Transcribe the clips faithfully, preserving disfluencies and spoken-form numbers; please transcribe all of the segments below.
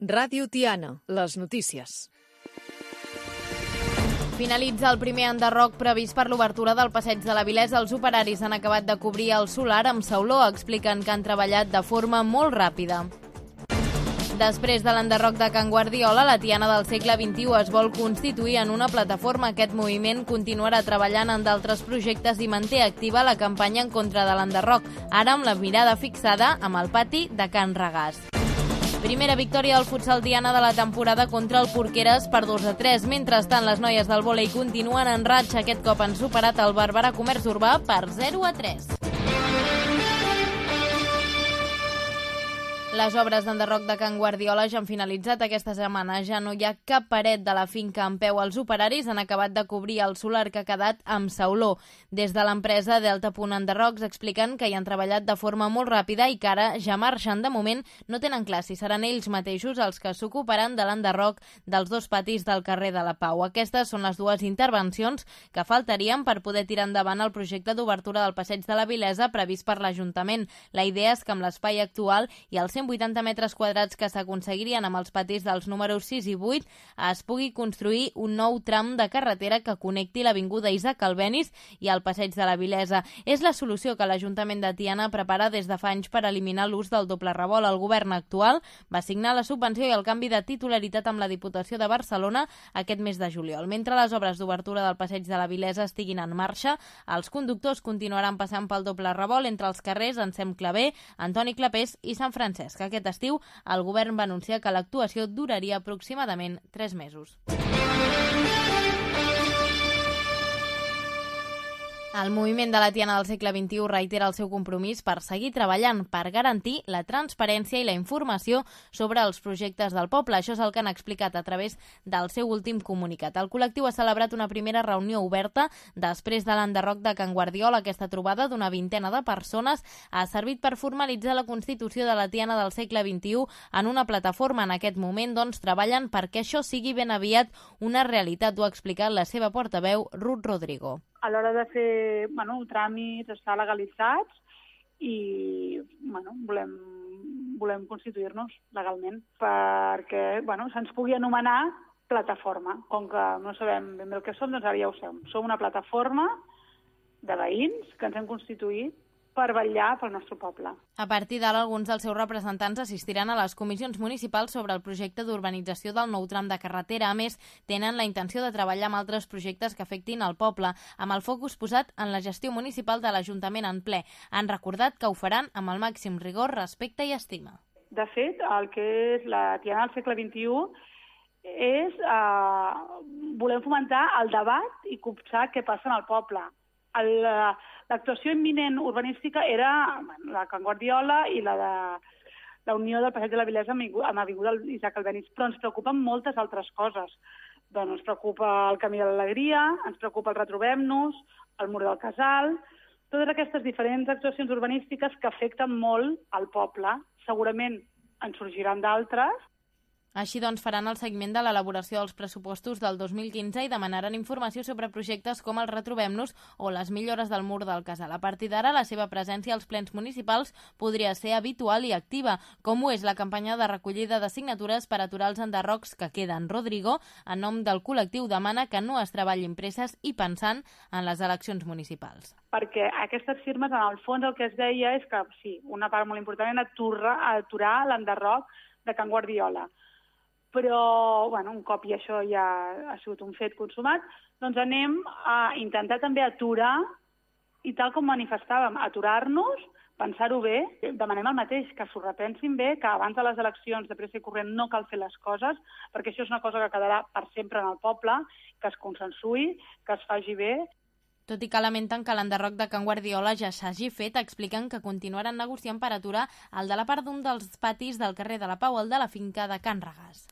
Ràdio Tiana, les notícies. Finalitza el primer enderroc previst per l'obertura del Passeig de la Vilesa. Els operaris han acabat de cobrir el solar amb sauló. Expliquen que han treballat de forma molt ràpida. Després de l'enderroc de Can Guardiola, la Tiana del segle vint-i-u es vol constituir en una plataforma. Aquest moviment continuarà treballant en d'altres projectes i manté activa la campanya en contra de l'enderroc, ara amb la mirada fixada amb el pati de Can Regàs. Primera victòria del futsal Tiana de la temporada contra el Porqueres per dos a tres. Mentrestant, les noies del vòlei continuen en ratxa. Aquest cop han superat el Barberà Comerç Urbà per zero a tres. Les obres d'enderroc de Can Guardiola ja han finalitzat aquesta setmana. Ja no hi ha cap paret de la finca en peu. Els operaris han acabat de cobrir el solar que ha quedat amb sauló. Des de l'empresa Delta Punt Enderrocs expliquen que hi han treballat de forma molt ràpida i que ara ja marxen. De moment no tenen clar si seran ells mateixos els que s'ocuparan de l'enderroc dels dos patis del carrer de la Pau. Aquestes són les dues intervencions que faltarien per poder tirar endavant el projecte d'obertura del Passeig de la Vilesa previst per l'Ajuntament. La idea és que amb l'espai actual i els cent vuitanta metres quadrats que s'aconseguirien amb els patis dels números sis i vuit es pugui construir un nou tram de carretera que connecti l'avinguda Isaac Albéniz i el Passeig de la Vilesa. És la solució que l'Ajuntament de Tiana prepara des de fa anys per eliminar l'ús del doble revolt. El govern actual va signar la subvenció i el canvi de titularitat amb la Diputació de Barcelona aquest mes de juliol. Mentre les obres d'obertura del Passeig de la Vilesa estiguin en marxa, els conductors continuaran passant pel doble revolt entre els carrers Ensem Clavé, Antoni Clapés i Sant Francesc. Aquest estiu, el govern va anunciar que l'actuació duraria aproximadament tres mesos. El moviment de la Tiana del segle vint-i-u reitera el seu compromís per seguir treballant per garantir la transparència i la informació sobre els projectes del poble. Això és el que han explicat a través del seu últim comunicat. El col·lectiu ha celebrat una primera reunió oberta després de l'enderroc de Can Guardiola. Aquesta trobada d'una vintena de persones ha servit per formalitzar la constitució de la Tiana del segle vint-i-u en una plataforma. En aquest moment, doncs, treballen perquè això sigui ben aviat una realitat. Ho ha explicat la seva portaveu, Ruth Rodrigo. A l'hora de fer bueno, tràmits, estar legalitzats i bueno, volem, volem constituir-nos legalment perquè bueno, se'ns pugui anomenar plataforma. Com que no sabem ben bé el que som, doncs ara ja ho som. Som una plataforma de veïns que ens hem constituït per vetllar pel nostre poble. A partir d'ara, alguns dels seus representants assistiran a les comissions municipals sobre el projecte d'urbanització del nou tram de carretera. A més, tenen la intenció de treballar amb altres projectes que afectin el poble, amb el focus posat en la gestió municipal de l'Ajuntament en ple. Han recordat que ho faran amb el màxim rigor, respecte i estima. De fet, el que és la Tiana del segle vint-i-u és eh, volem fomentar el debat i copsar què passa en el poble. El, l'actuació imminent urbanística era la Can Guardiola i la de la unió del Passeig de la Vilesa amb l'avinguda Isaac Albéniz, però ens preocupen moltes altres coses. Doncs ens preocupa el Camí de l'Alegria, ens preocupa el Retrobem-nos, el Mur del Casal, totes aquestes diferents actuacions urbanístiques que afecten molt al poble. Segurament en sorgiran d'altres. Així doncs, faran el seguiment de l'elaboració dels pressupostos del dos mil quinze i demanaran informació sobre projectes com el Retrobem-nos o les millores del Mur del Casal. A partir d'ara, la seva presència als plens municipals podria ser habitual i activa, com ho és la campanya de recollida de signatures per aturar els enderrocs que queden. Rodrigo, en nom del col·lectiu, demana que no es treballin presses i pensant en les eleccions municipals. Perquè aquestes firmes, en el fons, el que es deia és que, sí, una part molt important era aturar, aturar l'enderroc de Can Guardiola. Però, bueno, un cop i això ja ha sigut un fet consumat, doncs anem a intentar també aturar, i tal com manifestàvem, aturar-nos, pensar-ho bé, demanem el mateix, que s'ho repensin bé, que abans de les eleccions de pressa i corrent no cal fer les coses, perquè això és una cosa que quedarà per sempre en el poble, que es consensuï, que es faci bé. Tot i que lamenten que l'enderroc de Can Guardiola ja s'hagi fet, expliquen que continuaran negociant per aturar el de la part d'un dels patis del carrer de la Pau, el de la finca de Can Regàs.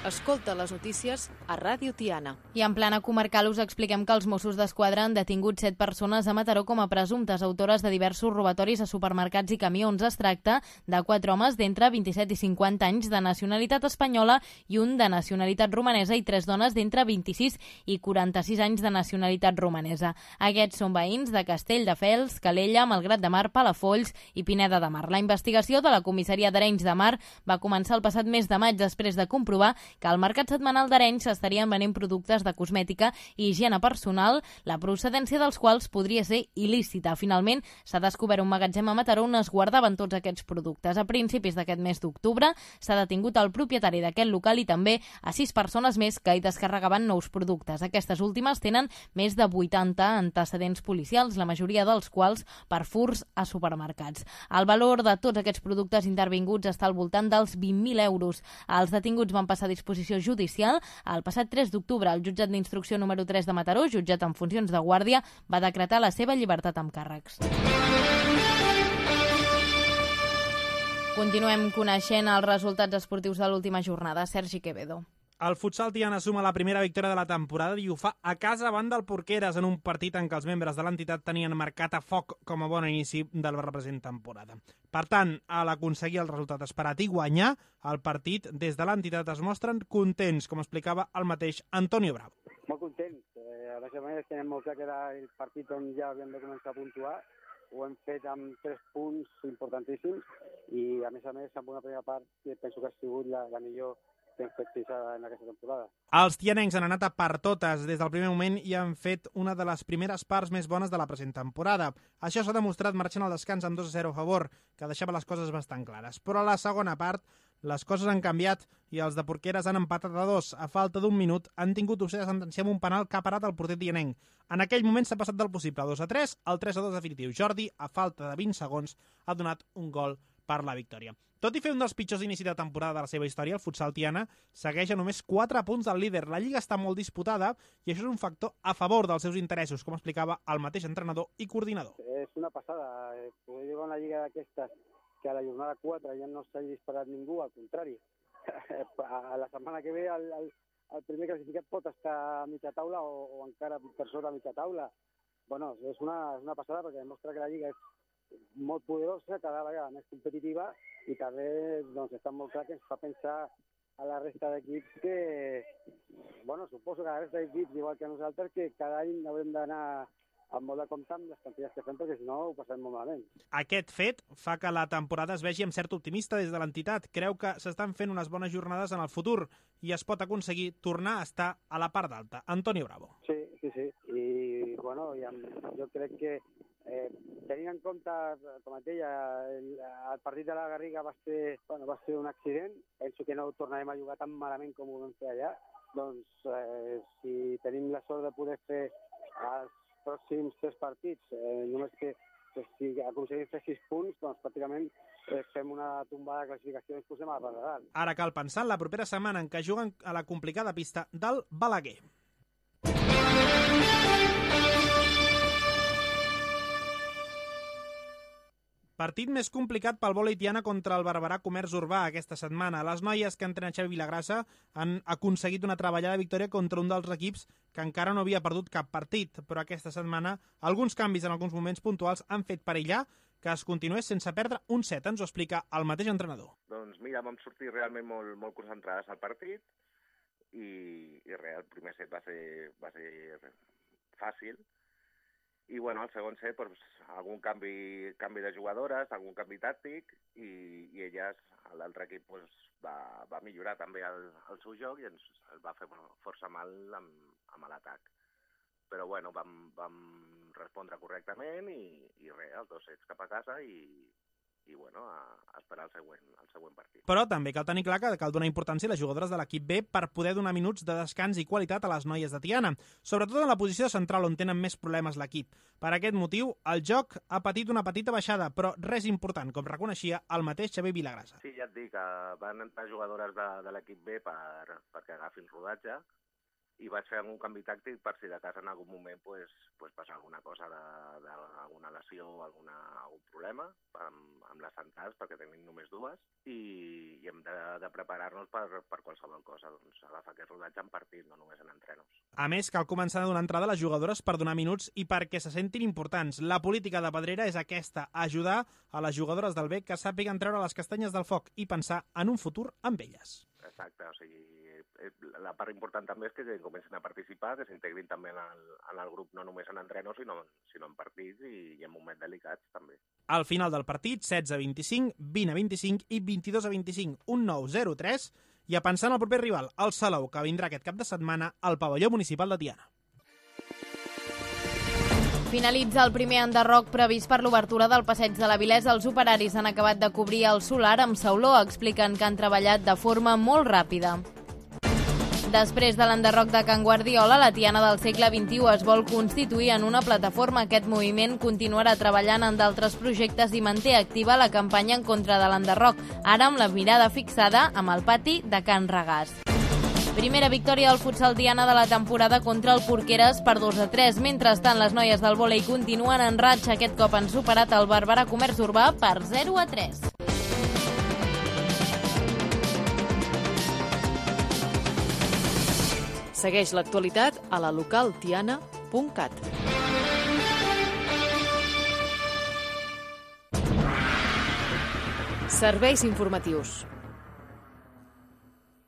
Escolta les notícies a Ràdio Tiana. I en plana comarcal us expliquem que els Mossos d'Esquadra han detingut set persones a Mataró com a presumptes autores de diversos robatoris a supermercats i camions. Es tracta de quatre homes d'entre vint-i-set i cinquanta anys de nacionalitat espanyola i un de nacionalitat romanesa i tres dones d'entre vint-i-sis i quaranta-sis anys de nacionalitat romanesa. Aquests són veïns de Castelldefels, Calella, Malgrat de Mar, Palafolls i Pineda de Mar. La investigació de la comissaria d'Arenys de Mar va començar el passat mes de maig després de comprovar que al mercat setmanal d'Arenys s'estarien venent productes de cosmètica i higiene personal, la procedència dels quals podria ser il·lícita. Finalment, s'ha descobert un magatzem a Mataró on es guardaven tots aquests productes. A principis d'aquest mes d'octubre s'ha detingut el propietari d'aquest local i també a sis persones més que hi descarregaven nous productes. Aquestes últimes tenen més de vuitanta antecedents policials, la majoria dels quals per furts a supermercats. El valor de tots aquests productes intervinguts està al voltant dels vint mil euros. Els detinguts van passar a disposició judicial. El passat tres d'octubre, el jutjat d'instrucció número tres de Mataró, jutjat en funcions de guàrdia, va decretar la seva llibertat amb càrrecs. Continuem coneixent els resultats esportius de l'última jornada. Sergi Quevedo. El futsal Tiana suma la primera victòria de la temporada i ho fa a casa davant del Porqueres en un partit en què els membres de l'entitat tenien marcat a foc com a bon inici de la present temporada. Per tant, a l'aconseguir el resultat esperat i guanyar el partit, des de l'entitat es mostren contents, com explicava el mateix Antonio Bravo. Molt contents. Eh, a més a més, tenim molt clar que era el partit on ja havíem de començar a puntuar. Ho hem fet amb tres punts importantíssims i, a més a més, amb una primera part que penso que ha sigut la, la millor que hem fet fins en aquesta temporada. Els tianencs han anat a per totes des del primer moment i han fet una de les primeres parts més bones de la present temporada. Això s'ha demostrat marxant al descans amb dos a zero a favor, que deixava les coses bastant clares. Però a la segona part les coses han canviat i els de Porqueres han empatat a dos. A falta d'un minut han tingut opció de sentenciar amb un penal que ha parat el porter tianenc. En aquell moment s'ha passat del possible dos a tres al tres a dos definitiu. Jordi, a falta de vint segons, ha donat un gol per la victòria. Tot i fer un dels pitjors inicis de temporada de la seva història, el futsal Tiana segueix a només quatre punts del líder. La lliga està molt disputada i això és un factor a favor dels seus interessos, com explicava el mateix entrenador i coordinador. És una passada. Poder jugar una lliga d'aquestes que a la jornada quatre ja no s'ha disparat ningú, al contrari. A la setmana que ve el, el, el primer classificat pot estar a mitja taula o, o encara per sota a mitja taula. Bueno, és una, és una passada perquè demostra que la lliga és molt poderosa, cada vegada més competitiva i també doncs, està molt clar que ens fa pensar a la resta d'equips que, bueno, suposo que a la resta d'equips, igual que nosaltres, que cada any haurem d'anar amb molt de compte amb les quantitats que fem, perquè si no ho passem molt malament. Aquest fet fa que la temporada es vegi amb cert optimista des de l'entitat. Creu que s'estan fent unes bones jornades en el futur i es pot aconseguir tornar a estar a la part d'alta. Antonio Bravo. Sí, sí, sí. I, bueno, i amb, jo crec que Eh, tenint en compte, com et deia, el, el partit de la Garriga va ser, bueno, va ser un accident. Penso que no tornarem a jugar tan malament com ho vam fer allà. Doncs eh, si tenim la sort de poder fer els pròxims tres partits, eh, només que pues, si aconseguim fer sis punts, doncs pràcticament eh, fem una tombada de classificació i ens posem a la part de dalt. Ara cal pensar en la propera setmana en què juguen a la complicada pista del Balaguer. Partit més complicat pel vòlei Tiana contra el Barberà Comerç Urbà aquesta setmana. Les noies que entrena Xavi Vilagrassa han aconseguit una treballada victòria contra un dels equips que encara no havia perdut cap partit, però aquesta setmana alguns canvis en alguns moments puntuals han fet perillar que es continués sense perdre un set. Ens ho explica el mateix entrenador. Doncs mira, vam sortir realment molt, molt concentrades al partit i, i res, el primer set va ser, va ser fàcil. I bueno, al segon set, doncs, algun canvi, canvi de jugadores, algun canvi tàctic, i, i elles, l'altre equip, doncs, va, va millorar també el, el seu joc i ens el va fer bueno, força mal amb, amb l'atac. Però bueno, vam, vam respondre correctament i, i res, els dos sets cap a casa i, i bueno, a, a esperar el següent, el següent partit. Però també cal tenir clar que cal donar importància a les jugadores de l'equip B per poder donar minuts de descans i qualitat a les noies de Tiana, sobretot en la posició central on tenen més problemes l'equip. Per aquest motiu, el joc ha patit una petita baixada, però res important, com reconeixia el mateix Xavi Vilagrassa. Sí, ja et dic, que van entrar jugadores de, de l'equip B per, perquè agafin rodatge i vaig fer algun canvi tàctic per si de cas en algun moment pues, pues passa alguna cosa d'alguna lesió o alguna, algun problema amb, amb les centrals, perquè tenim només dues, i, i hem de, de preparar-nos per, per qualsevol cosa, doncs agafar aquest rodatge en partit, no només en entrenos. A més, cal començar a donar entrada a les jugadores per donar minuts i perquè se sentin importants. La política de Pedrera és aquesta, ajudar a les jugadores del B que sàpiguen treure les castanyes del foc i pensar en un futur amb elles. Exacte, o sigui, la part important també és que comencin a participar, que s'integrin també en el, en el grup, no només en entrenos, sinó, sinó en partits i, i en moments delicats també. Al final del partit, setze a vint-i-cinc, vint a vint-i-cinc i vint-i-dos a vint-i-cinc, un nou zero tres, i a pensar en el proper rival, el Salou, que vindrà aquest cap de setmana al pavelló municipal de Tiana. Finalitza el primer enderroc previst per l'obertura del passeig de la Vilesa. Els operaris han acabat de cobrir el solar amb sauló. Expliquen que han treballat de forma molt ràpida. Després de l'enderroc de Can Guardiola, la Tiana del segle vint-i-u es vol constituir en una plataforma. Aquest moviment continuarà treballant en d'altres projectes i manté activa la campanya en contra de l'enderroc, ara amb la mirada fixada amb el pati de Can Regàs. Primera victòria del futsal Tiana de la temporada contra el Porqueres per dos a tres. Mentrestant, les noies del vòlei continuen en ratxa. Aquest cop han superat el Barberà Comerç Urbà per zero a tres. Segueix l'actualitat a la local tiana punt cat. Serveis informatius.